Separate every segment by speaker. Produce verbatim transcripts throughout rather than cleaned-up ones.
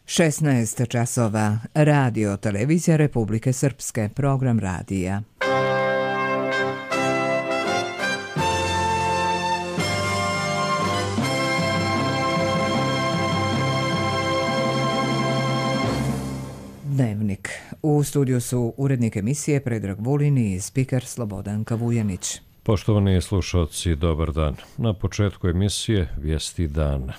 Speaker 1: šesnaest časova. Radio Televizija Republike Srpske. Program radija. Dnevnik. U studiju su urednik emisije Predrag Vulin i spiker Slobodanka Vujanić.
Speaker 2: Poštovani slušalci, dobar dan. Na početku emisije vijesti dana.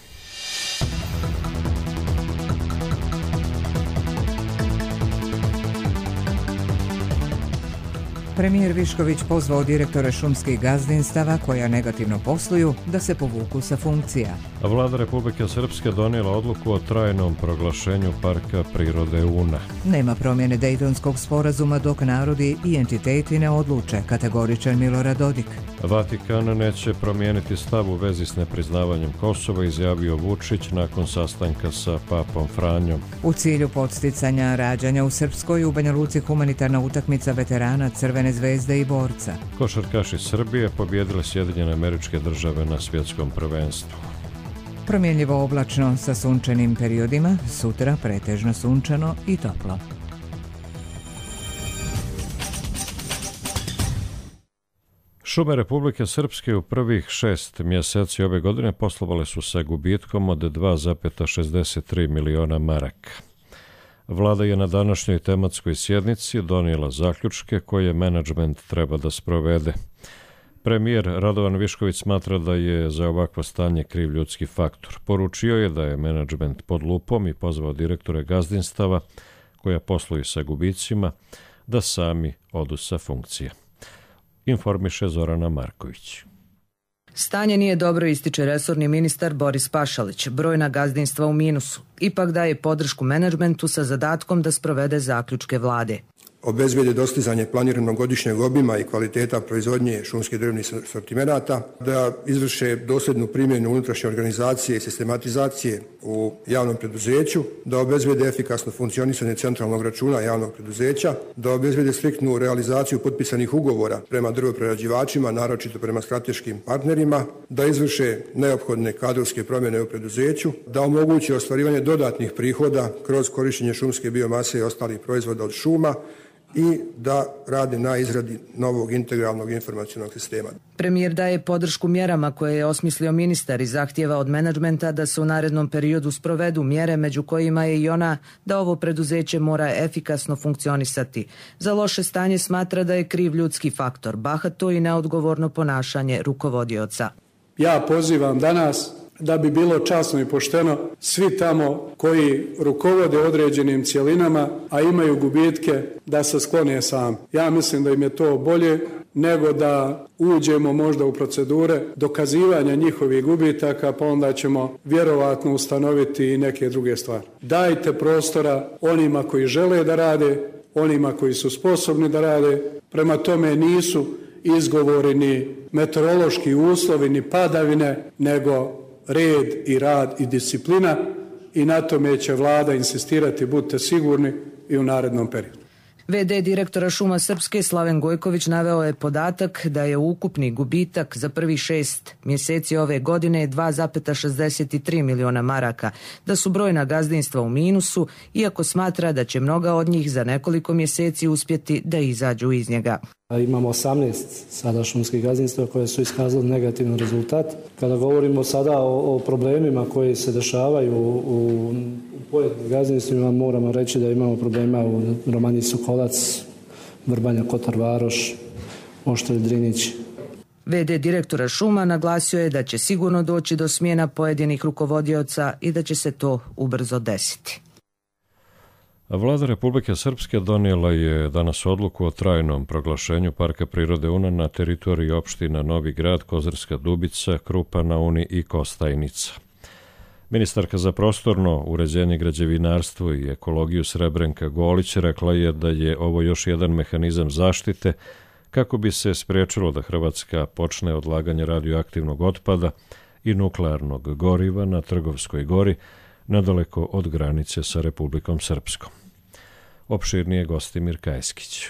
Speaker 1: Premijer Višković pozvao direktore šumskih gazdinstava koja negativno posluju da se povuku sa funkcija.
Speaker 2: Vlada Republike Srpske donijela odluku o trajnom proglašenju Parka prirode Una.
Speaker 1: Nema promjene Dejtonskog sporazuma dok narodi i entiteti ne odluče, kategoričan Milorad Dodik.
Speaker 2: Vatikan neće promijeniti stav u vezi s nepriznavanjem Kosova, izjavio Vučić nakon sastanka sa papom Franjom.
Speaker 1: U cilju podsticanja rađanja u Srpskoj, u Banja Luci humanitarna utakmica veterana Crvene zvezde i borca.
Speaker 2: Košarkaši Srbije pobjedile Sjedinjene Američke Države na svjetskom prvenstvu.
Speaker 1: Promjenljivo oblačno sa sunčanim periodima, sutra pretežno sunčano i toplo.
Speaker 2: Šume Republike Srpske u prvih šest mjeseci ove godine poslovale su sa gubitkom od dva zarez šezdeset tri miliona maraka. Vlada je na današnjoj tematskoj sjednici donijela zaključke koje menadžment treba da sprovede. Premijer Radovan Višković smatra da je za ovakvo stanje kriv ljudski faktor. Poručio je da je menadžment pod lupom i pozvao direktore gazdinstava koja posluju sa gubicima da sami odu sa funkcije. Informiše Zorana Marković.
Speaker 3: Stanje nije dobro, ističe resorni ministar Boris Pašalić. Brojna gazdinstva u minusu. Ipak daje podršku menadžmentu sa zadatkom da sprovede zaključke vlade.
Speaker 4: Obezbijede dostizanje planiranog godišnjeg obima i kvaliteta proizvodnje šumskih drvnih sortimenata, da izvrše dosljednu primjenu unutrašnje organizacije i sistematizacije u javnom preduzeću, da obezbijede efikasno funkcionisanje centralnog računa javnog preduzeća, da obezbijede striktnu realizaciju potpisanih ugovora prema drvoprerađivačima, naročito prema strateškim partnerima, da izvrše neophodne kadrovske promjene u preduzeću, da omoguće ostvarivanje dodatnih prihoda kroz korištenje šumske biomase i ostalih proizvoda od šuma, i da radi na izradi novog integralnog informacionog sistema.
Speaker 3: Premijer daje podršku mjerama koje je osmislio ministar i zahtijeva od menadžmenta da se u narednom periodu sprovedu mjere, među kojima je i ona da ovo preduzeće mora efikasno funkcionisati. Za loše stanje smatra da je kriv ljudski faktor, bahato i neodgovorno ponašanje rukovodioca.
Speaker 5: Ja pozivam danas da bi bilo časno i pošteno svi tamo koji rukovode određenim cjelinama, a imaju gubitke, da se sklone sam. Ja mislim da im je to bolje nego da uđemo možda u procedure dokazivanja njihovih gubitaka, pa onda ćemo vjerovatno ustanoviti i neke druge stvari. Dajte prostora onima koji žele da rade, onima koji su sposobni da rade, prema tome nisu izgovori ni meteorološki uslovi, ni padavine, nego red i rad i disciplina, i na tome će vlada insistirati, budite sigurni, i u narednom periodu.
Speaker 3: ve de direktora Šuma Srpske Slaven Gojković naveo je podatak da je ukupni gubitak za prvih šest mjeseci ove godine dva zarez šezdeset tri miliona maraka, da su brojna gazdinstva u minusu, iako smatra da će mnoga od njih za nekoliko mjeseci uspjeti da izađu iz njega.
Speaker 6: Imamo osamnaest sada šumskih gazdinstva koje su iskazali negativan rezultat. Kada govorimo sada o, o problemima koji se dešavaju u, u pojedinim gazdinstvima, moramo reći da imamo problema u Romanji Sokolac, Vrbanja Kotar Varoš, Oštrelj Drinić.
Speaker 3: ve de direktora Šuma naglasio je da će sigurno doći do smjena pojedinih rukovodioca i da će se to ubrzo desiti.
Speaker 2: Vlada Republike Srpske donijela je danas odluku o trajnom proglašenju Parka prirode Una na teritoriji opština Novi Grad, Kozarska Dubica, Krupa na Uni i Kostajnica. Ministarka za prostorno uređenje, građevinarstvo i ekologiju Srebrenka Golić rekla je da je ovo još jedan mehanizam zaštite kako bi se spriječilo da Hrvatska počne odlaganje radioaktivnog otpada i nuklearnog goriva na Trgovskoj gori, nadaleko od granice sa Republikom Srpskom. Opširnije Gostimir Kajskić.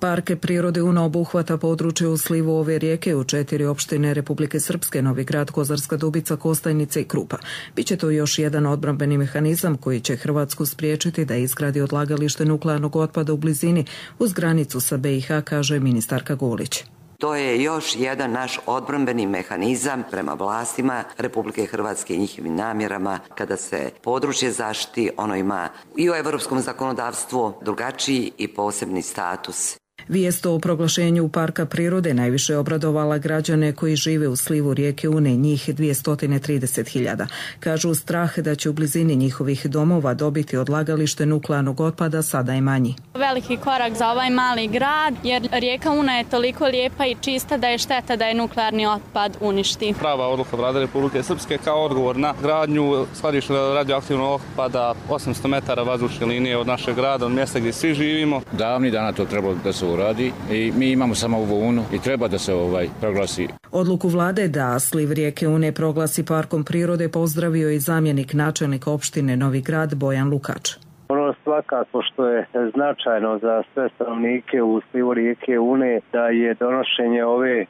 Speaker 3: Park prirode Una obuhvata područje u slivu ove rijeke u četiri opštine Republike Srpske, Novi Grad, Kozarska Dubica, Kostajnica i Krupa. Biće to još jedan odbrambeni mehanizam koji će Hrvatsku spriječiti da izgradi odlagalište nuklearnog otpada u blizini uz granicu sa B i H, kaže ministarka Gulić.
Speaker 7: To je još jedan naš odbrambeni mehanizam prema vlastima Republike Hrvatske i njihovim namjerama. Kada se područje zaštiti, ono ima i u europskom zakonodavstvu drugačiji i posebni status.
Speaker 3: Vijest o proglašenju parka prirode najviše je obradovala građane koji žive u slivu rijeke Une, njih dvjesto trideset hiljada. Kažu strah da će u blizini njihovih domova dobiti odlagalište nuklearnog otpada sada je manji.
Speaker 8: Veliki korak za ovaj mali grad jer rijeka Una je toliko lijepa i čista da je šteta da je nuklearni otpad uništi.
Speaker 9: Prava odluka Vlade Republike Srpske kao odgovor na gradnju skladišta radioaktivnog otpada osamsto metara vazdušne linije od našeg grada, od mjesta gdje svi živimo.
Speaker 10: Davni dana to trebalo da se uradi i mi imamo samo ovu Unu i treba da se ovaj proglasi.
Speaker 3: Odluku vlade da sliv rijeke Une proglasi parkom prirode pozdravio i zamjenik načelnika opštine Novi Grad Bojan Lukač.
Speaker 11: Ono svakako što je značajno za sve stanovnike u slivu rijeke Une da je donošenje ove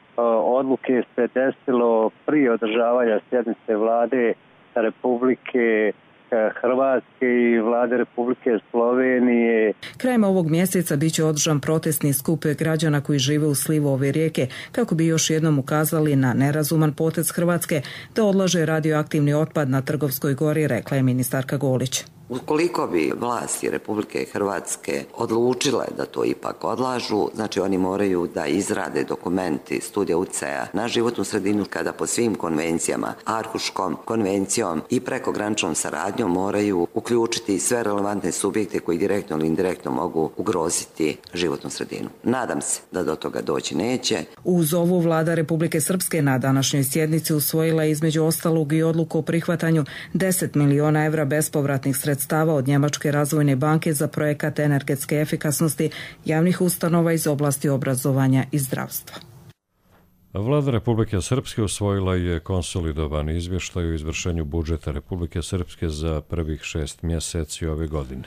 Speaker 11: odluke se desilo prije održavanja sjednice vlade Republike Hrvatske i vlade Republike Slovenije.
Speaker 3: Krajem ovog mjeseca biće održan protestni skup građana koji žive u slivu ove rijeke kako bi još jednom ukazali na nerazuman potez Hrvatske da odlaže radioaktivni otpad na Trgovskoj gori, rekla je ministarka Golić.
Speaker 7: Ukoliko bi vlasti Republike Hrvatske odlučile da to ipak odlažu, znači oni moraju da izrade dokumenti studija utjecaja na životnu sredinu kada po svim konvencijama, Arhuškom konvencijom i prekograničnom saradnjom moraju uključiti sve relevantne subjekte koji direktno ili indirektno mogu ugroziti životnu sredinu. Nadam se da do toga doći neće.
Speaker 3: Uz ovu vlada Republike Srpske na današnjoj sjednici usvojila je između ostalog i odluku o prihvatanju deset miliona evra bespovratnih sredstava sredstava od Njemačke razvojne banke za projekat energetske efikasnosti javnih ustanova iz oblasti obrazovanja i zdravstva.
Speaker 2: Vlada Republike Srpske usvojila je konsolidovani izvještaj o izvršenju budžeta Republike Srpske za prvih šest mjeseci ove godine.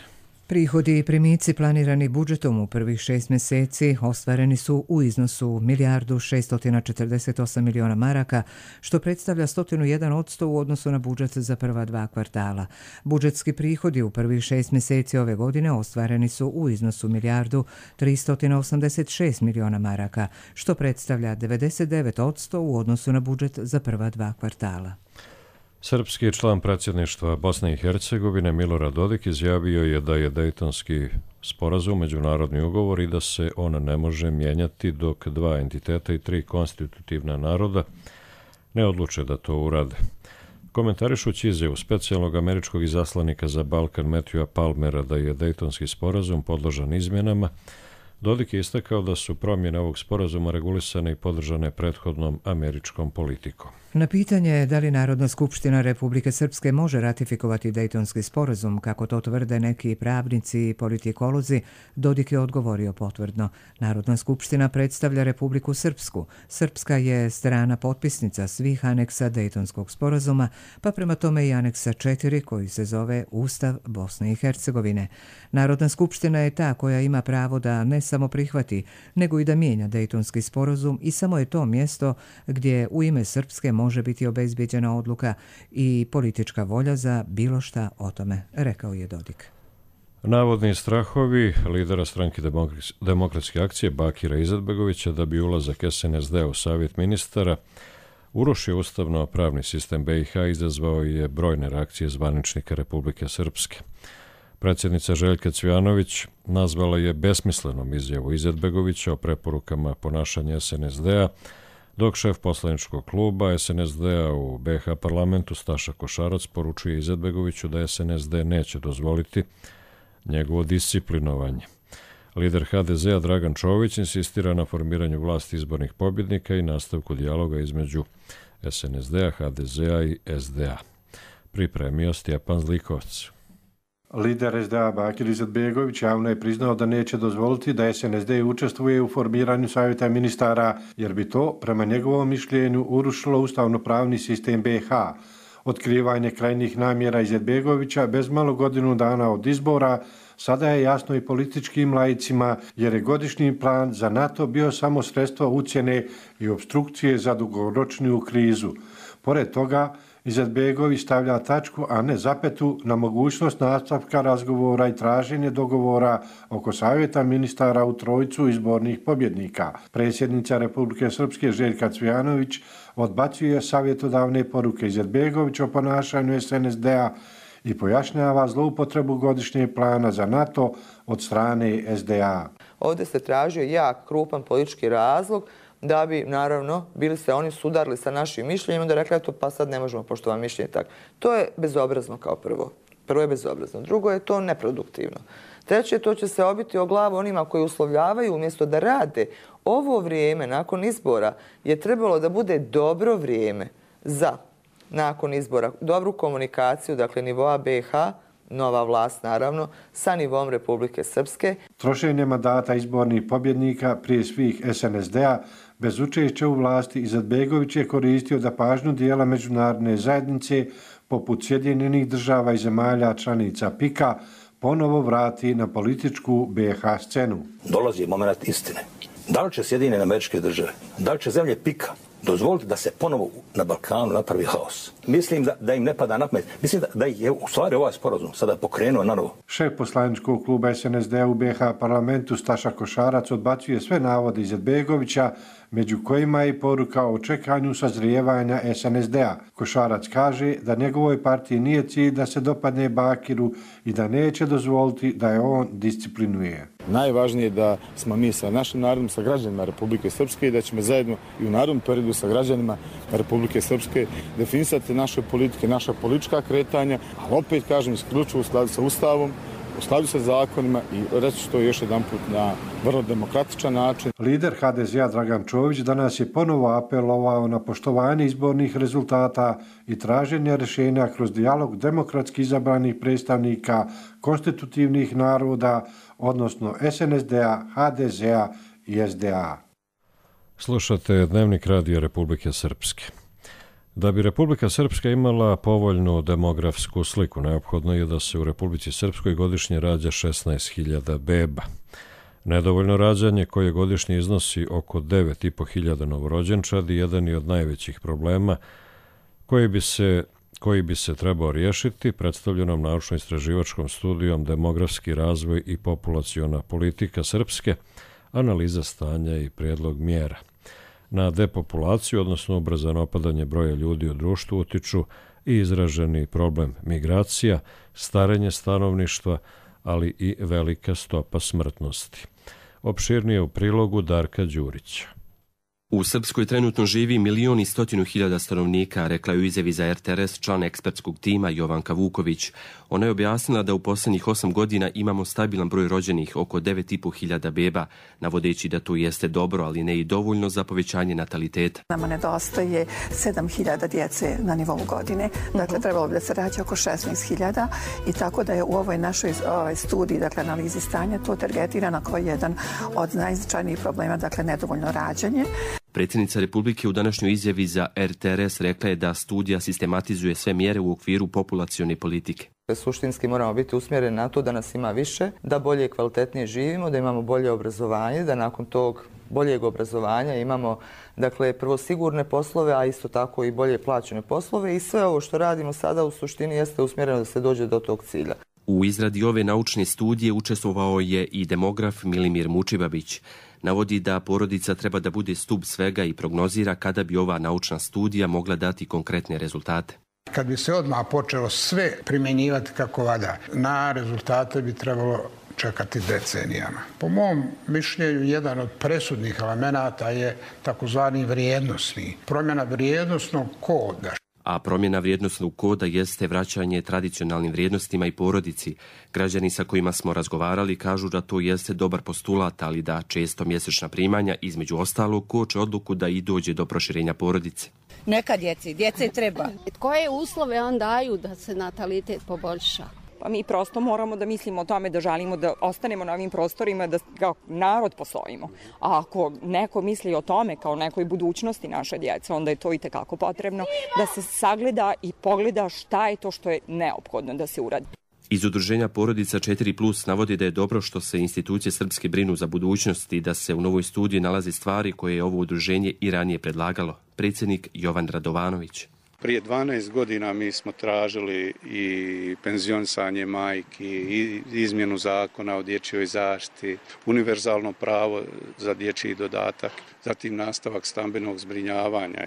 Speaker 1: Prihodi i primici planirani budžetom u prvih šest mjeseci ostvareni su u iznosu milijardu šesto četrdeset osam miliona maraka, što predstavlja sto jedan odsto u odnosu na budžet za prva dva kvartala. Budžetski prihodi u prvih šest mjeseci ove godine ostvareni su u iznosu milijardu tristo osamdeset šest miliona maraka, što predstavlja devedeset devet odsto u odnosu na budžet za prva dva kvartala.
Speaker 2: Srpski član predsjedništva Bosne i Hercegovine Milorad Dodik izjavio je da je Dejtonski sporazum međunarodni ugovor i da se on ne može mijenjati dok dva entiteta i tri konstitutivna naroda ne odluče da to urade. Komentarišući izjavu specijalnog američkog izaslanika za Balkan Matthewa Palmera da je Dejtonski sporazum podložan izmjenama, Dodik je istakao da su promjene ovog sporazuma regulisane i podržane prethodnom američkom politikom.
Speaker 1: Na pitanje da li Narodna skupština Republike Srpske može ratifikovati Dejtonski sporazum, kako to tvrde neki pravnici i politikolozi, Dodik je odgovorio potvrdno. Narodna skupština predstavlja Republiku Srpsku. Srpska je strana potpisnica svih aneksa Dejtonskog sporazuma, pa prema tome i aneksa četiri koji se zove Ustav Bosne i Hercegovine. Narodna skupština je ta koja ima pravo da ne samo prihvati, nego i da mijenja Dejtonski sporazum i samo je to mjesto gdje u ime Srpske može biti obezbijeđena odluka i politička volja za bilo šta o tome, rekao je Dodik.
Speaker 2: Navodni strahovi lidera stranke Demokratske akcije Bakira Izetbegovića da bi ulazak S N S D u Savjet ministara urušio ustavno-pravni sistem B i H izazvao je brojne reakcije zvaničnika Republike Srpske. Predsjednica Željka Cvjanović nazvala je besmislenom izjavu Izetbegovića o preporukama ponašanja S N S D-a, dok šef poslaničkog kluba S N S D-a u B H parlamentu Staša Košarac poručuje Izetbegoviću da S N S D neće dozvoliti njegovo disciplinovanje. Lider H D Z-a Dragan Čović insistira na formiranju vlasti izbornih pobjednika i nastavku dijaloga između S N S D-a, H D Z-a i S D A. Pripremio Stjepan Zlikovac.
Speaker 12: Lider S D A Bakir Izetbegović javno je priznao da neće dozvoliti da S N S D učestvuje u formiranju savjeta ministara, jer bi to, prema njegovom mišljenju, urušilo ustavno-pravni sistem B i H. Otkrivanje krajnjih namjera Izetbegovića bez malo godinu dana od izbora sada je jasno i političkim laicima jer je godišnji plan za NATO bio samo sredstvo ucjene i opstrukcije za dugoročniju krizu. Pored toga, Izetbegović stavlja tačku, a ne zapetu, na mogućnost nastavka razgovora i traženje dogovora oko savjeta ministara u trojicu izbornih pobjednika. Predsjednica Republike Srpske Željka Cvijanović odbacuje savjetodavne poruke Izetbegovića o ponašanju es en es de-a i pojašnjava zloupotrebu godišnjeg plana za NATO od strane es de a.
Speaker 13: Ovdje se tražio jak, krupan politički razlog da bi, naravno, bili se oni sudarili sa našim mišljenjima, da rekli, eto, pa sad ne možemo poštovati mišljenje tako. To je bezobrazno kao prvo. Prvo je bezobrazno. Drugo je to neproduktivno. Treće, to će se obiti o glavu onima koji uslovljavaju umjesto da rade. Ovo vrijeme, nakon izbora, je trebalo da bude dobro vrijeme za, nakon izbora, dobru komunikaciju, dakle, nivoa be ha, nova vlast, naravno, sa nivom Republike Srpske.
Speaker 12: Trošenje mandata izbornih pobjednika, prije svih es en es de-a, bez učešća u vlasti, Izetbegović je koristio da pažnju dijela međunarodne zajednice, poput Sjedinjenih država i zemalja članica pika, ponovo vrati na političku be ha scenu.
Speaker 14: Dolazi moment istine. Da li će Sjedinjene Američke Države, da li će zemlje pika dozvoliti da se ponovo na Balkanu napravi haos? Mislim da, da im ne pada na pamet. Mislim da, da je u stvari ovaj sporazum sada pokrenuo na novo.
Speaker 12: Šef poslaničkog kluba es en es de-a u be ha parlamentu Staša Košarac odbacuje sve navode Izetbegovića, među kojima je i poruka o čekanju sazrijevanja es en es de-a. Košarac kaže da njegovoj partiji nije cilj da se dopadne Bakiru i da neće dozvoliti da je on disciplinuje.
Speaker 15: Najvažnije je da smo mi sa našim narodom, sa građanima Republike Srpske i da ćemo zajedno i u narednom periodu sa građanima Republike Srpske definisati naše politike, naša politička kretanja, ali opet kažem isključivo u skladu sa Ustavom, u skladu sa zakonima i reći ću to još jedan put na vrlo demokratičan način.
Speaker 12: Lider ha de ze-a Dragan Čović danas je ponovo apelovao na poštovanje izbornih rezultata i traženje rješenja kroz dijalog demokratski izabranih predstavnika konstitutivnih naroda, odnosno es en es de-a, ha de ze-a i es de a.
Speaker 2: Slušate Dnevnik Radio Republike Srpske. Da bi Republika Srpska imala povoljnu demografsku sliku, neophodno je da se u Republici Srpskoj godišnje rađa šesnaest hiljada beba. Nedovoljno rađanje koje godišnje iznosi oko devet i po hiljada novorođenčadi jedan je od najvećih problema koji bi se, koji bi se trebao riješiti predstavljenom naučno-istraživačkom studijom Demografski razvoj i populaciona politika Srpske, analiza stanja i prijedlog mjera. Na depopulaciju, odnosno ubrzano opadanje broja ljudi u društvu, utiču i izraženi problem migracija, starenje stanovništva, ali i velika stopa smrtnosti. Opširnije u prilogu Darka Đurića.
Speaker 16: U Srpskoj trenutno živi milion i stotinu hiljada stanovnika, rekla je u izjavi za er te er es član ekspertskog tima Jovanka Vuković. Ona je objasnila da u posljednjih osam godina imamo stabilan broj rođenih, oko devet i po hiljada beba, navodeći da to jeste dobro, ali ne i dovoljno za povećanje nataliteta.
Speaker 17: Nama nedostaje sedam hiljada djece na nivou godine, dakle trebalo bi da se rađa oko šesnaest hiljada i tako da je u ovoj našoj ovoj studiji, dakle analizi stanja, to targetirano kao jedan od najznačajnijih problema, dakle nedovoljno rađanje.
Speaker 16: Predsjednica Republike u današnjoj izjavi za er te er es rekla je da studija sistematizuje sve mjere u okviru populacione politike.
Speaker 13: Suštinski moramo biti usmjereni na to da nas ima više, da bolje i kvalitetnije živimo, da imamo bolje obrazovanje, da nakon tog boljeg obrazovanja imamo, dakle, prvo sigurne poslove, a isto tako i bolje plaćene poslove i sve ovo što radimo sada u suštini jeste usmjereno da se dođe do tog cilja.
Speaker 16: U izradi ove naučne studije učestvovao je i demograf Milimir Mučibabić. Navodi da porodica treba da bude stup svega i prognozira kada bi ova naučna studija mogla dati konkretne rezultate.
Speaker 18: Kad bi se odmah počelo sve primjenjivati kako valja, na rezultate bi trebalo čekati decenijama. Po mom mišljenju, jedan od presudnih elemenata je takozvani vrijednosni, promjena vrijednosnog koda.
Speaker 16: A promjena vrijednosnog koda jeste vraćanje tradicionalnim vrijednostima i porodici. Građani sa kojima smo razgovarali kažu da to jeste dobar postulat, ali da često mjesečna primanja između ostalog koče odluku da i dođe do proširenja porodice.
Speaker 19: Neka djeci, djece treba. Koje uslove on daju da se natalitet poboljša?
Speaker 20: Pa mi prosto moramo da mislimo o tome da želimo da ostanemo na ovim prostorima, da kao narod postojimo. A ako neko misli o tome kao nekoj budućnosti naše djece, onda je to i tekako potrebno da se sagleda i pogleda šta je to što je neophodno da se uradi.
Speaker 16: Iz udruženja Porodica četiri plus navodi da je dobro što se institucije srpske brinu za budućnost i da se u novoj studiji nalazi stvari koje je ovo udruženje i ranije predlagalo. Predsjednik Jovan Radovanović.
Speaker 21: Prije dvanaest godina mi smo tražili i penzionisanje majki, i izmjenu zakona o dječjoj zaštiti, univerzalno pravo za dječji dodatak, zatim nastavak stambenog zbrinjavanja.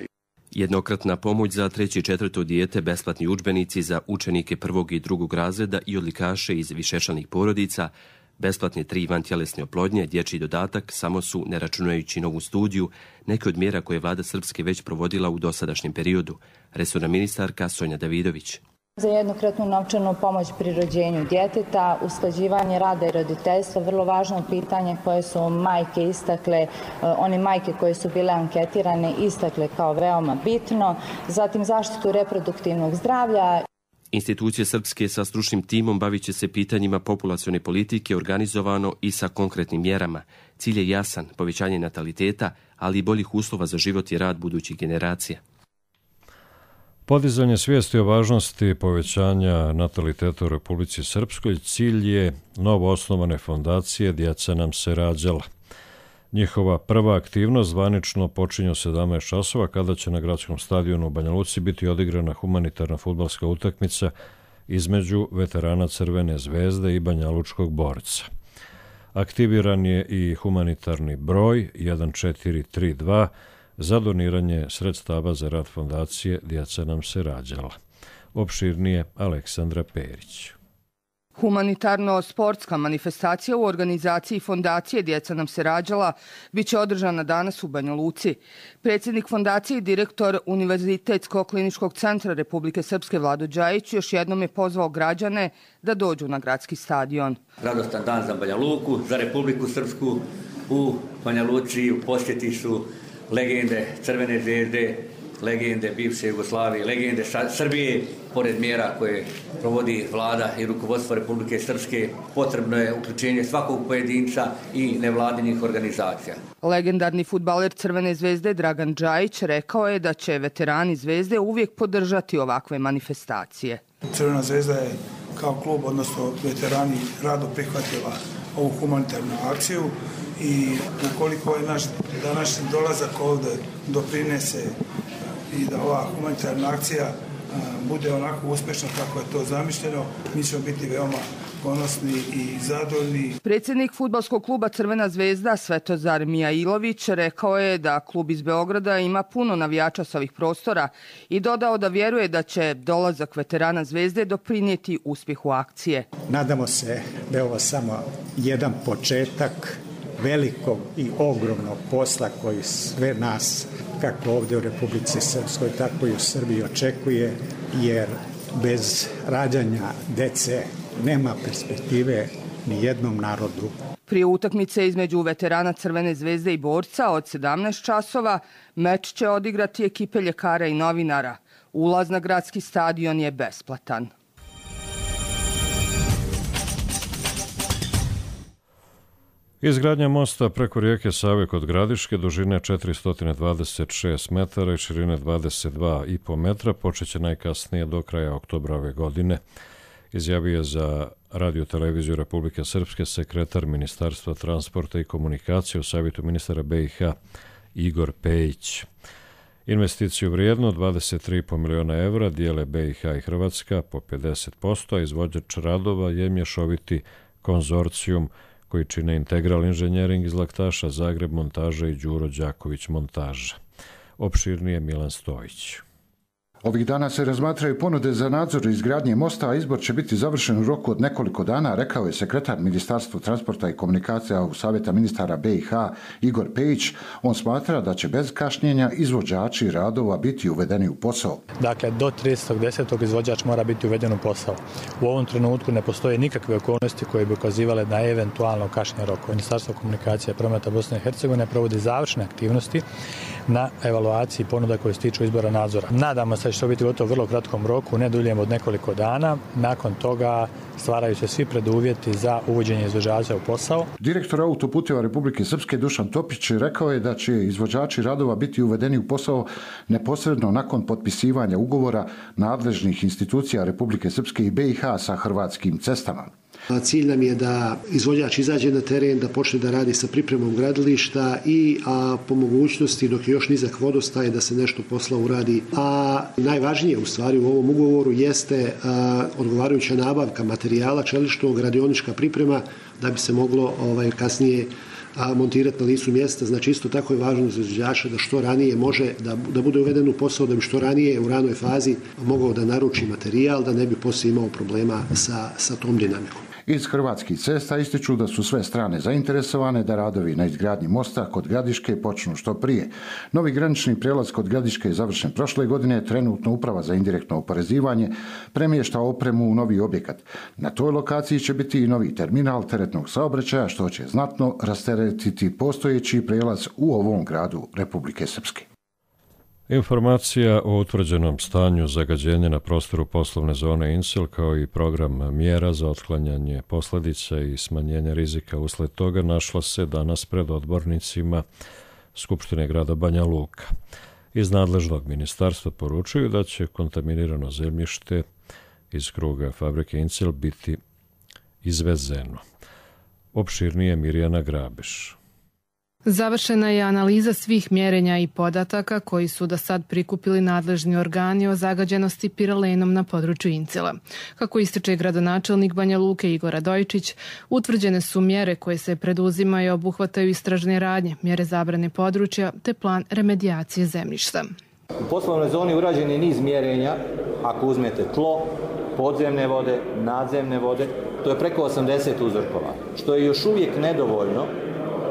Speaker 16: Jednokratna pomoć za treće i četvrto dijete, besplatni udžbenici za učenike prvog i drugog razreda i odlikaše iz višečlanih porodica, besplatne tri vantjelesne oplodnje, dječji dodatak samo su, ne računajući novu studiju, neke od mjera koje je vlada Srpske već provodila u dosadašnjem periodu. Resorna ministarka Sonja Davidović.
Speaker 22: Za jednokratnu novčanu pomoć pri rođenju djeteta, usklađivanje rada i roditeljstva, vrlo važno pitanje koje su majke istakle, one majke koje su bile anketirane istakle kao veoma bitno, zatim zaštitu reproduktivnog zdravlja.
Speaker 16: Institucije Srpske sa stručnim timom bavit će se pitanjima populacione politike organizovano i sa konkretnim mjerama. Cilj je jasan, povećanje nataliteta, ali i boljih uslova za život i rad budućih generacija.
Speaker 2: Podizanje svijesti o važnosti povećanja nataliteta u Republici Srpskoj cilj je novo osnovane fondacije Djeca nam se rađala. Njihova prva aktivnost zvanično počinje u sedamnaest časova kada će na gradskom stadionu u Banja Luci biti odigrana humanitarna fudbalska utakmica između veterana Crvene zvezde i banjalučkog borca. Aktiviran je i humanitarni broj jedan četiri tri dva za doniranje sredstava za rad fondacije Djeca nam se rađala. Opširnije Aleksandra Perić.
Speaker 23: Humanitarno-sportska manifestacija u organizaciji fondacije Djeca nam se rađala biće održana danas u Banja Luci. Predsjednik fondacije i direktor Univerzitetskog kliničkog centra Republike Srpske Vlado Đajić još jednom je pozvao građane da dođu na gradski stadion.
Speaker 24: Radostan dan za Banja Luku, za Republiku Srpsku. U Banja Luci u posjeti su legende Crvene zvezde, legende bivše Jugoslavije, legende Srbije. Pored mjera koje provodi vlada i rukovodstvo Republike Srpske, potrebno je uključenje svakog pojedinca i nevladinih organizacija.
Speaker 23: Legendarni fudbaler Crvene zvezde Dragan Đajić rekao je da će veterani zvezde uvijek podržati ovakve manifestacije.
Speaker 25: Crvena zvezda je kao klub, odnosno veterani, rado prihvatila ovu humanitarnu akciju i ukoliko je naš današnji dolazak ovdje doprinese i da ova humanitarna akcija bude onako uspješna kako je to zamišljeno, mi ćemo biti veoma ponosni i zadovoljni.
Speaker 23: Predsjednik fudbalskog kluba Crvena zvezda Svetozar Mijailović rekao je da klub iz Beograda ima puno navijača s ovih prostora i dodao da vjeruje da će dolazak veterana zvezde doprinijeti uspjehu akcije.
Speaker 26: Nadamo se da je ovo samo jedan početak velikog i ogromnog posla koji sve nas, kako ovdje u Republici Srpskoj, tako i u Srbiji očekuje, jer bez rađanja dece nema perspektive ni jednom narodu.
Speaker 23: Prije utakmice između veterana Crvene zvezde i borca od sedamnaest časova meč će odigrati ekipe ljekara i novinara. Ulaz na gradski stadion je besplatan.
Speaker 2: Izgradnja mosta preko rijeke Save kod Gradiške dužine četiristo dvadeset šest metara i širine dvadeset dva i po metra počeće najkasnije do kraja oktobra ove godine, izjavio je za Radio televiziju Republike Srpske sekretar Ministarstva transporta i komunikacije u savjetu ministara B i H Igor Pejić. Investiciju vrijedno dvadeset tri i po miliona evra dijele B i H i Hrvatska po pedeset posto, a izvođač radova je mješoviti konzorcijum koji čine Integral inženjering iz Laktaša, Zagreb montaža i Đuro Đaković montaža. Opširnije Milan Stojić.
Speaker 27: Ovih dana se razmatraju ponude za nadzor izgradnje mosta, a izbor će biti završen u roku od nekoliko dana, rekao je sekretar Ministarstva transporta i komunikacija u savjeta ministara B i H Igor Pejić. On smatra da će bez kašnjenja izvođači radova biti uvedeni u posao.
Speaker 28: Dakle, do tridesetog desetog izvođač mora biti uveden u posao. U ovom trenutku ne postoje nikakve okolnosti koje bi ukazivale na eventualno kašnjenje rokova. Ministarstvo komunikacije i prometa Bosne i Hercegovine provodi završne aktivnosti na evaluaciji ponuda koje se tiču izbora nadzora. Nadamo se da će to biti gotovo u vrlo kratkom roku, ne duljem od nekoliko dana. Nakon toga stvaraju se svi preduvjeti za uvođenje izvođača u posao.
Speaker 27: Direktor autoputeva Republike Srpske Dušan Topić rekao je da će izvođači radova biti uvedeni u posao neposredno nakon potpisivanja ugovora nadležnih institucija Republike Srpske i B i H sa Hrvatskim cestama.
Speaker 4: Cilj nam je da izvođač izađe na teren, da počne da radi sa pripremom gradilišta i a, po mogućnosti, dok je još nizak vodostaj, da se nešto posla uradi. A najvažnije u stvari u ovom ugovoru jeste a, odgovarajuća nabavka materijala, čeličnog, radionička priprema, da bi se moglo ovaj, kasnije a montirati na licu mjesta. Znači isto tako je važno za izvođača da što ranije može da, da bude uveden u posao, da bi što ranije u ranoj fazi mogao da naruči materijal, da ne bi poslije imao problema sa, sa tom dinamikom.
Speaker 27: Iz Hrvatskih cesta ističu da su sve strane zainteresovane da radovi na izgradnji mosta kod Gradiške počnu što prije. Novi granični prijelaz kod Gradiške je završen prošle godine, trenutno Uprava za indirektno oporezivanje premješta opremu u novi objekat. Na toj lokaciji će biti i novi terminal teretnog saobraćaja, što će znatno rasteretiti postojeći prijelaz u ovom gradu Republike Srpske.
Speaker 2: Informacija o utvrđenom stanju zagađenja na prostoru poslovne zone Incel kao i program mjera za otklanjanje posljedica i smanjenje rizika usled toga našla se danas pred odbornicima Skupštine grada Banja Luka. Iz nadležnog ministarstva poručuju da će kontaminirano zemljište iz kruga fabrike Incel biti izvezeno. Opširnije Mirjana Grabeš.
Speaker 5: Završena je analiza svih mjerenja i podataka koji su do sad prikupili nadležni organi o zagađenosti piralenom na području Incela. Kako ističe gradonačelnik Banja Luke Igor Radojčić, utvrđene su mjere koje se preduzimaju i obuhvataju istražne radnje, mjere zabrane područja te plan remedijacije zemljišta.
Speaker 6: U poslovnoj zoni urađen je niz mjerenja, ako uzmete tlo, podzemne vode, nadzemne vode, to je preko osamdeset uzorkova, što je još uvijek nedovoljno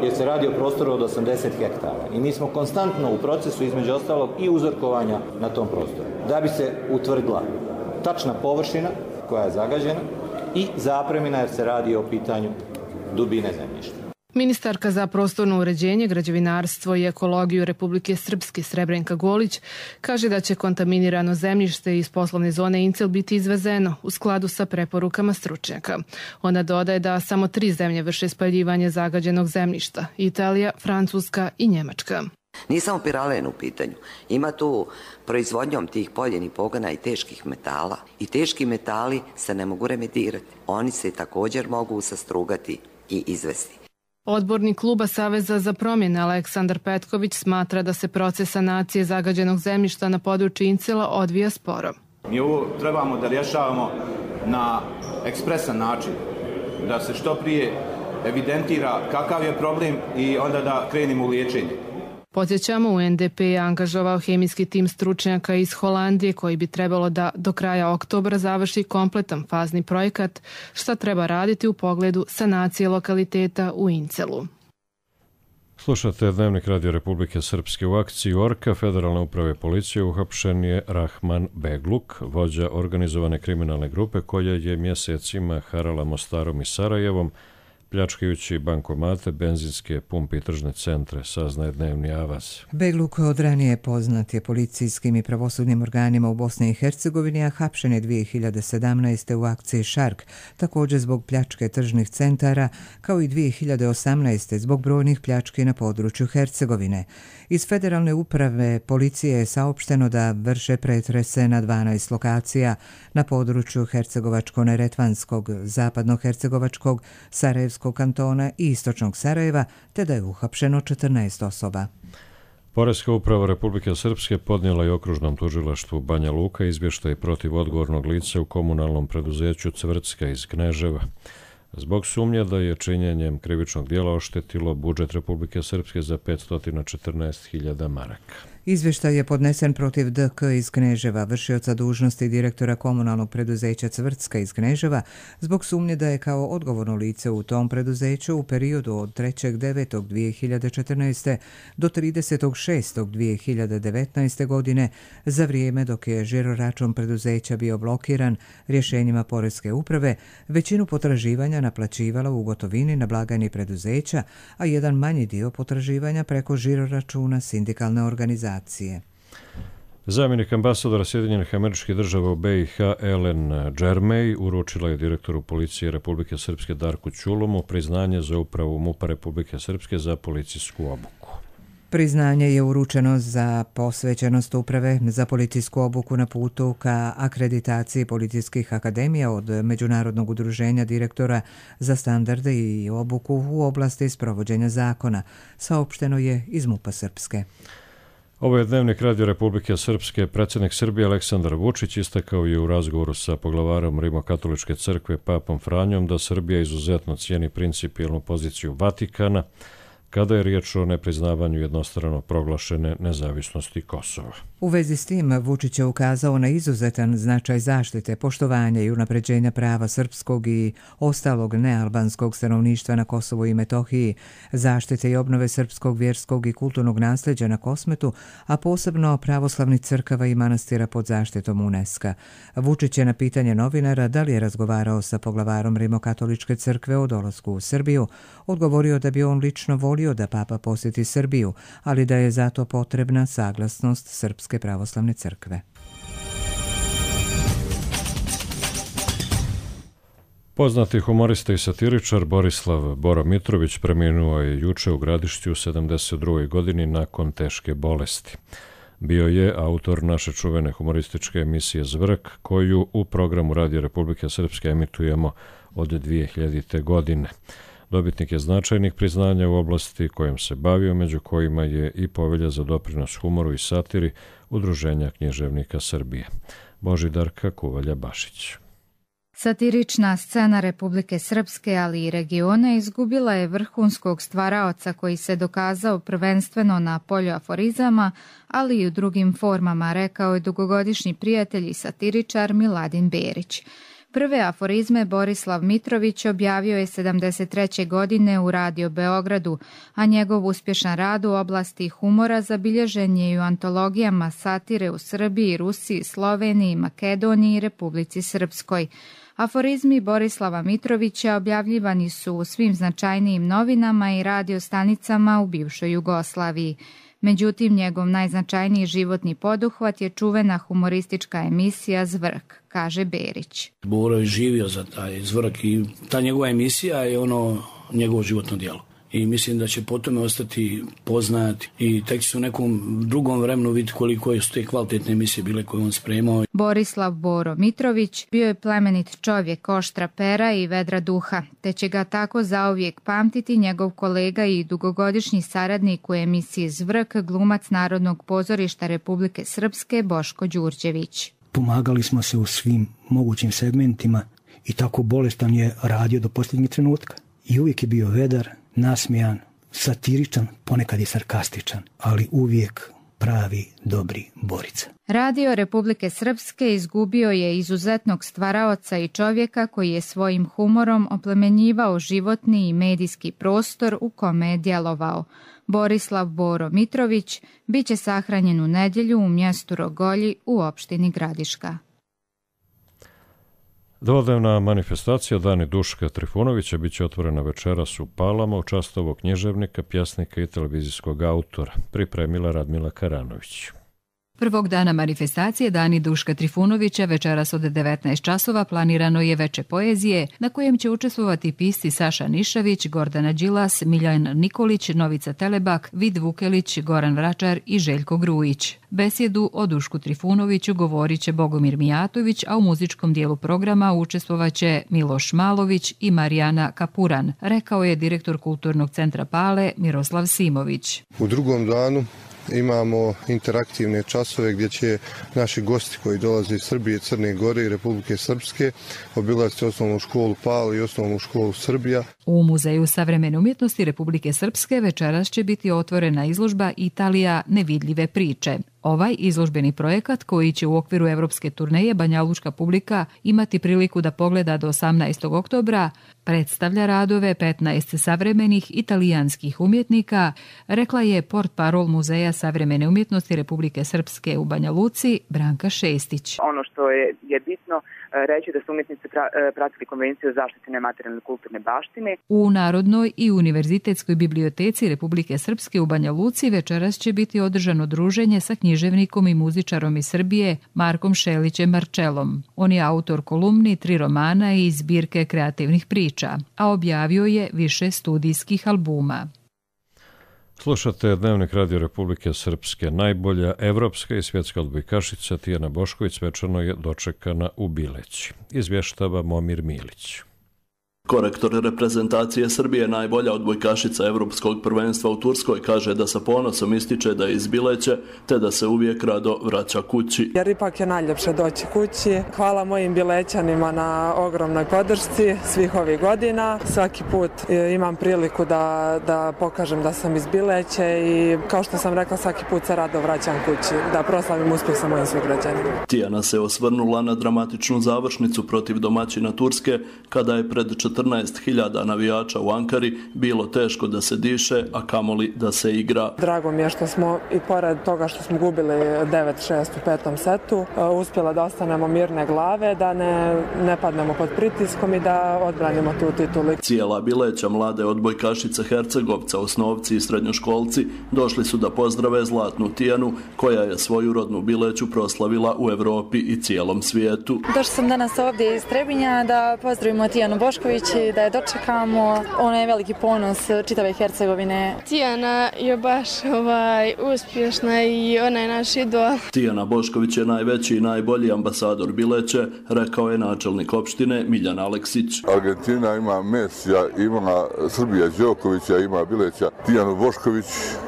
Speaker 6: jer se radi o prostoru od osamdeset hektara. I mi smo konstantno u procesu, između ostalog, i uzorkovanja na tom prostoru, da bi se utvrdila tačna površina koja je zagađena i zapremina jer se radi o pitanju dubine zemljišta.
Speaker 5: Ministarka za prostorno uređenje, građevinarstvo i ekologiju Republike Srpske Srebrenka Golić kaže da će kontaminirano zemljište iz poslovne zone Incel biti izvezeno u skladu sa preporukama stručnjaka. Ona dodaje da samo tri zemlje vrše spaljivanje zagađenog zemljišta: Italija, Francuska i Njemačka.
Speaker 7: Nije samo piralen u pitanju. Ima tu proizvodnjom tih poljenih pogona i teških metala. I teški metali se ne mogu remedirati. Oni se također mogu sastrugati i izvesti.
Speaker 5: Odbornik kluba Saveza za promjene Aleksandar Petković smatra da se proces sanacije zagađenog zemljišta na području Incela odvija sporo.
Speaker 8: Mi ovo trebamo da rješavamo na ekspresan način, da se što prije evidentira kakav je problem i onda da krenemo u liječenje.
Speaker 5: Podsjećamo, U N D P je angažovao hemijski tim stručnjaka iz Holandije koji bi trebalo da do kraja oktobra završi kompletan fazni projekat šta treba raditi u pogledu sanacije lokaliteta u Incelu.
Speaker 2: Slušate Dnevnik Radio Republike Srpske. U akciji Orka Federalne uprave policije uhapšen je Rahman Begluk, vođa organizovane kriminalne grupe koja je mjesecima harala Mostarom i Sarajevom, pljačkajući bankomate, benzinske pumpe i tržne centre, saznaje Dnevni avaz.
Speaker 1: Begluk od ranije poznat je policijskim i pravosudnim organima u Bosni i Hercegovini, a hapšen je dvije hiljade sedamnaeste. u akciji Šark, također zbog pljačke tržnih centara, kao i dvije hiljade osamnaeste. zbog brojnih pljački na području Hercegovine. Iz Federalne uprave policije je saopšteno da vrše pretrese na dvanaest lokacija na području Hercegovačko-Neretvanskog, Zapadno-Hercegovačkog, Sarajevskog kantona i Istočnog Sarajeva, te da je uhapšeno četrnaest osoba.
Speaker 2: Poreska uprava Republike Srpske podnijela je okružnom tužilaštvu Banja Luka izvještaj protiv odgovornog lica u komunalnom preduzeću Cvrcka iz Kneževa, zbog sumnje da je činjenjem krivičnog dijela oštetilo budžet Republike Srpske za petsto četrnaest hiljada maraka.
Speaker 1: Izvještaj je podnesen protiv D K iz Kneževa, vršioca dužnosti direktora komunalnog preduzeća Cvrcka iz Kneževa, zbog sumnje da je kao odgovorno lice u tom preduzeću u periodu od trećeg devetog dvije hiljade četrnaeste. do tridesetog šestog dvije hiljade devetnaeste. godine, za vrijeme dok je žiroračun preduzeća bio blokiran rješenjima Poreske uprave, većinu potraživanja naplaćivala u gotovini na blagajni preduzeća, a jedan manji dio potraživanja preko žiroračuna sindikalne organizacije.
Speaker 2: Zamjenik ambasadora Sjedinjenih Američkih Država u B i H Ellen Džermej uručila je direktoru policije Republike Srpske Darku Ćulomu priznanje za upravu MUP-a Republike Srpske za policijsku obuku.
Speaker 1: Priznanje je uručeno za posvećenost uprave za policijsku obuku na putu ka akreditaciji policijskih akademija od Međunarodnog udruženja direktora za standarde i obuku u oblasti sprovođenja zakona, saopšteno je iz MUP-a Srpske.
Speaker 2: Ovo je Dnevnik Radio Republike Srpske. Predsjednik Srbije Aleksandar Vučić istakao je u razgovoru sa poglavarom Rimokatoličke crkve Papom Franjom da Srbija izuzetno cijeni principijelnu poziciju Vatikana kada je riječ o nepriznavanju jednostrano proglašene nezavisnosti Kosova.
Speaker 1: U vezi s tim Vučić je ukazao na izuzetan značaj zaštite, poštovanja i unapređenja prava srpskog i ostalog nealbanskog stanovništva na Kosovu i Metohiji, zaštite i obnove srpskog vjerskog i kulturnog nasljeđa na Kosmetu, a posebno pravoslavnih crkava i manastira pod zaštitom UNESCO. Vučić je na pitanje novinara da li je razgovarao sa poglavarom Rimokatoličke crkve o dolasku u Srbiju, odgovorio da bi on lično volio da Papa posjeti Srbiju, ali da je zato potrebna saglasnost Srpske pravoslavne crkve.
Speaker 2: Poznati humorista i satiričar Borislav Boro Mitrović preminuo je juče u Gradišću u sedamdeset drugoj godini nakon teške bolesti. Bio je autor naše čuvene humorističke emisije Zvrk, koju u programu Radio Republike Srpske emitujemo od dvije hiljadite. godine. Dobitnik je značajnih priznanja u oblasti kojom se bavio, među kojima je i povelja za doprinos humoru i satiri Udruženja književnika Srbije. Božidarka Kuvalja-Bašić.
Speaker 3: Satirična scena Republike Srpske, ali i regiona, izgubila je vrhunskog stvaraoca koji se dokazao prvenstveno na polju aforizama, ali i u drugim formama, rekao je dugogodišnji prijatelj i satiričar Miladin Berić. Prve aforizme Borislav Mitrović objavio je sedamdeset treće. godine u Radio Beogradu, a njegov uspješan rad u oblasti humora zabilježen je i u antologijama satire u Srbiji, Rusiji, Sloveniji, Makedoniji i Republici Srpskoj. Aforizmi Borislava Mitrovića objavljivani su u svim značajnijim novinama i radiostanicama u bivšoj Jugoslaviji. Međutim, njegov najznačajniji životni poduhvat je čuvena humoristička emisija Zvrk, kaže Berić.
Speaker 9: Boro je živio za taj Zvrk i ta njegova emisija je ono njegovo životno djelo. I mislim da će po tome ostati poznat i tek će se u nekom drugom vremenu vidjeti koliko su te kvalitetne emisije bile koje on spremao.
Speaker 3: Borislav Boro Mitrović bio je plemenit čovjek, oštra pera i vedra duha, te će ga tako zauvijek pamtiti njegov kolega i dugogodišnji saradnik u emisiji Zvrk, glumac Narodnog pozorišta Republike Srpske Boško Đurđević.
Speaker 10: Pomagali smo se u svim mogućim segmentima i tako bolestan je radio do posljednjeg trenutka. I uvijek je bio vedar, nasmijan, satiričan, ponekad i sarkastičan, ali uvijek pravi, dobri Borica.
Speaker 3: Radio Republike Srpske izgubio je izuzetnog stvaraoca i čovjeka koji je svojim humorom oplemenjivao životni i medijski prostor u kome je djelovao. Borislav Boro Mitrović bit će sahranjen u nedjelju u mjestu Rogolji u opštini Gradiška.
Speaker 2: Dvodnevna manifestacija Dani Duška Trifunovića bit će otvorena večeras u Palama u čast ovog književnika, pjesnika i televizijskog autora, pripremila Radmila Karanović.
Speaker 11: Prvog dana manifestacije Dani Duška Trifunovića večeras od devetnaest časova planirano je veče poezije na kojem će učestvovati pisci Saša Nišavić, Gordana Đilas, Miljan Nikolić, Novica Telebak, Vid Vukelić, Goran Vračar i Željko Grujić. Besjedu o Dušku Trifunoviću govorit će Bogomir Mijatović, a u muzičkom dijelu programa učestvovaće Miloš Malović i Marijana Kapuran, rekao je direktor Kulturnog centra Pale Miroslav Simović.
Speaker 12: U drugom danu imamo interaktivne časove gdje će naši gosti koji dolaze iz Srbije, Crne Gore i Republike Srpske obilaziti osnovnu školu Pal i osnovnu školu Srbija.
Speaker 11: U Muzeju savremene umjetnosti Republike Srpske večeras će biti otvorena izložba Italija nevidljive priče. Ovaj izložbeni projekat, koji će u okviru evropske turneje banjalučka publika imati priliku da pogleda do osamnaestog oktobra, predstavlja radove petnaest savremenih italijanskih umjetnika, rekla je portparol Muzeja savremene umjetnosti Republike Srpske u Banja Luci Branka Šestić.
Speaker 14: Ono što je, je bitno reći da su umjetnici pratili konvenciju o zaštiti nematerijalne kulturne baštine.
Speaker 11: U Narodnoj i Univerzitetskoj biblioteci Republike Srpske u Banja Luci večeras će biti održano druženje sa književnicima književnikom i muzičarom iz Srbije Markom Šelićem Marčelom. On je autor kolumni, tri romana i zbirke kreativnih priča, a objavio je više studijskih albuma.
Speaker 2: Slušate Dnevnik Radio Republike Srpske. Najbolja evropska i svjetska odbojkašica Tijana Bošković svečano je dočekana u Bileći. Izvještava Momir Milić.
Speaker 13: Korektor reprezentacije Srbije, najbolja odbojkašica Evropskog prvenstva u Turskoj, kaže da sa ponosom ističe da je iz Bileće, te da se uvijek rado vraća kući.
Speaker 15: Jer ipak je najljepše doći kući. Hvala mojim Bilećanima na ogromnoj podršci svih ovih godina. Svaki put imam priliku da, da pokažem da sam iz Bileće i kao što sam rekla, svaki put se rado vraćam kući, da proslavim uspjeh sa mojim sugrađanima.
Speaker 13: Tijana se osvrnula na dramatičnu završnicu protiv domaćina Turske, kada je pred četrnaest hiljada navijača u Ankari bilo teško da se diše, a kamoli da se igra.
Speaker 15: Drago mi je što smo, i pored toga što smo gubili devet šest u petom setu, uspjela da ostanemo mirne glave, da ne, ne padnemo pod pritiskom i da odbranimo tu titulu.
Speaker 13: Cijela Bileća, mlade odbojkašice Hercegovca, osnovci i srednjoškolci došli su da pozdrave zlatnu Tijanu, koja je svoju rodnu Bileću proslavila u Evropi i cijelom svijetu.
Speaker 17: Došli sam danas ovdje iz Trebinja da pozdravimo Tijanu Bošković, da je dočekamo. Ona je veliki ponos čitave Hercegovine.
Speaker 18: Tijana je baš ovaj, uspješna i ona je naš idol.
Speaker 13: Tijana Bošković je najveći i najbolji ambasador Bileće, rekao je načelnik opštine Miljan Aleksić.
Speaker 19: Argentina ima Mesija, ima Srbija Đokovića, ima Bileća Tijanu Bošković.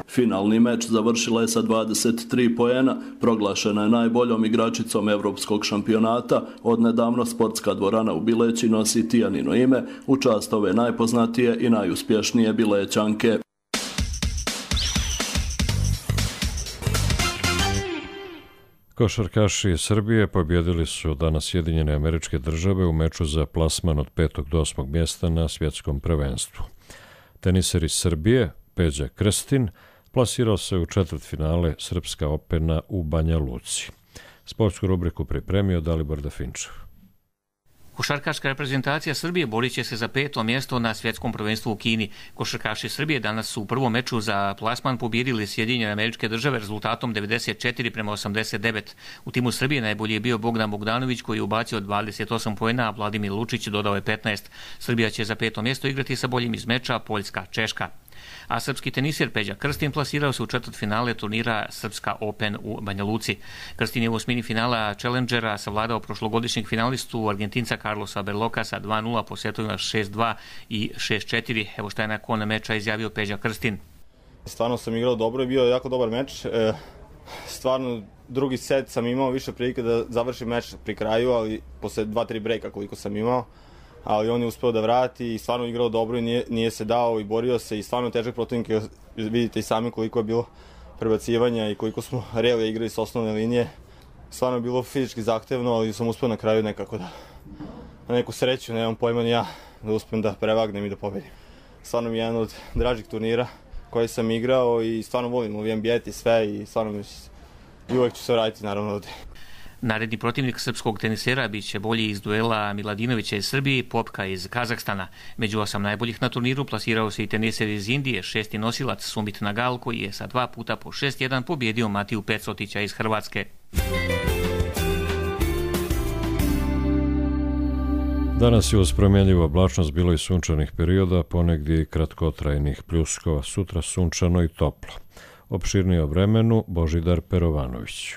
Speaker 13: Finalni meč završila je sa dvadeset tri poena, proglašena je najboljom igračicom evropskog šampionata. Odnedavno sportska dvorana u Bileći nosi Tijanino ime u čast ove najpoznatije i najuspješnije Bilećanke.
Speaker 2: Košarkaši Srbije pobjedili su danas Sjedinjene Američke Države u meču za plasman od petog do osmog mjesta na svjetskom prvenstvu. Teniser iz Srbije, Peđa Krstin, plasirao se u četvrtfinale Srpska Opena u Banja Luci. Sportsku rubriku pripremio Dalibor Dafinčev.
Speaker 20: Košarkaška reprezentacija Srbije borit će se za peto mjesto na svjetskom prvenstvu u Kini. Košarkaši Srbije danas su u prvom meču za plasman pobjedili Sjedinjene Američke Države rezultatom devedeset četiri prema osamdeset devet. U timu Srbije najbolji je bio Bogdan Bogdanović koji je ubacio dvadeset osam poena, a Vladimir Lučić dodao je petnaest. Srbija će za peto mjesto igrati sa boljim iz meča Poljska, Češka. A srpski tenisir Peđa Krstin plasirao se u četvrtfinale turnira Srpska Open u Banja Luci. Krstin je u osmini finala Challengera savladao prošlogodišnjeg finalistu Argentinca Carlosa Berlocasa dva nula po setovima šest dva i šest četiri. Evo šta je nakon meča izjavio Peđa Krstin.
Speaker 21: Stvarno sam igrao dobro i bio jako dobar meč. E, stvarno drugi set sam imao više prilike da završim meč pri kraju, ali posle dva tri brejka koliko sam imao. Ali on je uspeo da vrati i stvarno igrao dobro i nije, nije se dao i borio se i stvarno težak protivnik. Vidite i sami koliko je bilo prebacivanja i koliko smo realno igrali s osnovne linije. Stvarno je bilo fizički zahtevno, ali sam uspeo na kraju nekako da na neku sreću, nemam pojma ni ja, da uspijem da prevagnem i da pobedim. Stvarno mi je jedan od dražih turnira koji sam igrao i stvarno volim ovi ambijeti sve i stvarno mi i uvek ću se vratiti naravno ovdje.
Speaker 20: Naredni protivnik srpskog tenisera bit će bolji iz duela Miladinovića iz Srbije i Popka iz Kazahstana. Među osam najboljih na turniru plasirao se i teniser iz Indije, šesti nosilac Sumit Nagal, koji je sa dva puta po šest jedan pobjedio Matiju Pecotića iz Hrvatske.
Speaker 2: Danas je uz promjenljivu oblačnost bilo i sunčanih perioda, ponegdje i kratkotrajnih pljuskova, sutra sunčano i toplo. Opširnije o vremenu Božidar Perovanović.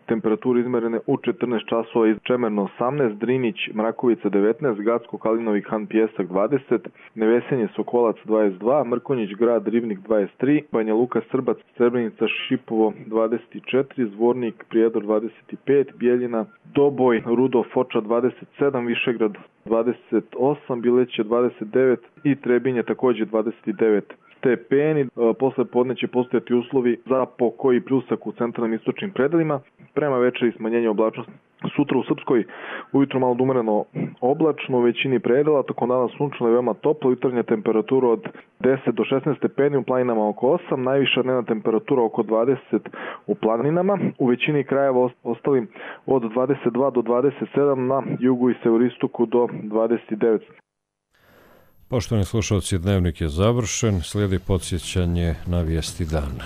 Speaker 22: Temperature izmerene u četrnaest časova iz Čemerno osamnaest, Drinić, Mrakovica devetnaest, Gacko, Kalinovi, Han, Pjesak dvadeset, Nevesenje, Sokolac dvadeset dva, Mrkonjić, Grad, Rivnik dvadeset tri, Banja Luka, Srbac, Srebrenica, Šipovo dvadeset četiri, Zvornik, Prijedor dvadeset pet, Bijeljina, Doboj, Rudo, Foča dvadeset sedam, Višegrad dvadeset osam, Bileće dvadeset devet i Trebinje također dvadeset devet stepeni. Posle podne će postojati uslovi za pokoj i pljusak u centralnim istočnim predelima. Prema večeri smanjenje oblačnosti. Sutra u Srpskoj ujutro malo umereno oblačno u većini predela, tokom dana sunčano i veoma toplo, jutarnja temperatura od deset do šesnaest stepeni, u planinama oko osam, najviša dnevna temperatura oko dvadeset u planinama, u većini krajeva ostali od dvadeset dva do dvadeset sedam, na jugu i severistoku do dvadeset devet.
Speaker 2: Poštovani slušalci, dnevnik je završen, slijedi podsjećanje na vijesti dana.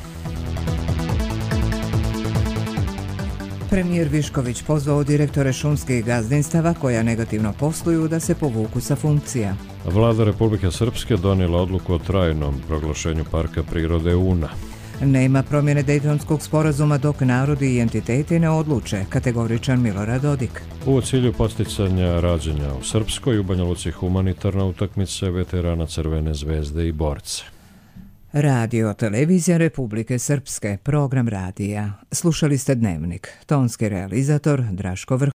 Speaker 1: Premijer Višković pozvao direktore šumskih gazdinstava koja negativno posluju da se povuku sa funkcija.
Speaker 2: Vlada Republike Srpske donijela odluku o trajnom proglašenju parka prirode Una.
Speaker 1: Nema promjene Dejtonskog sporazuma dok narodi i entiteti ne odluče, kategoričan Milorad Dodik.
Speaker 2: U cilju posticanja rađanja u Srpskoj u Banja Luci humanitarna utakmica veterana Crvene zvezde i borce.
Speaker 1: Radio Televizija Republike Srpske, program radija. Slušali ste Dnevnik. Tonski realizator Draško Vrh.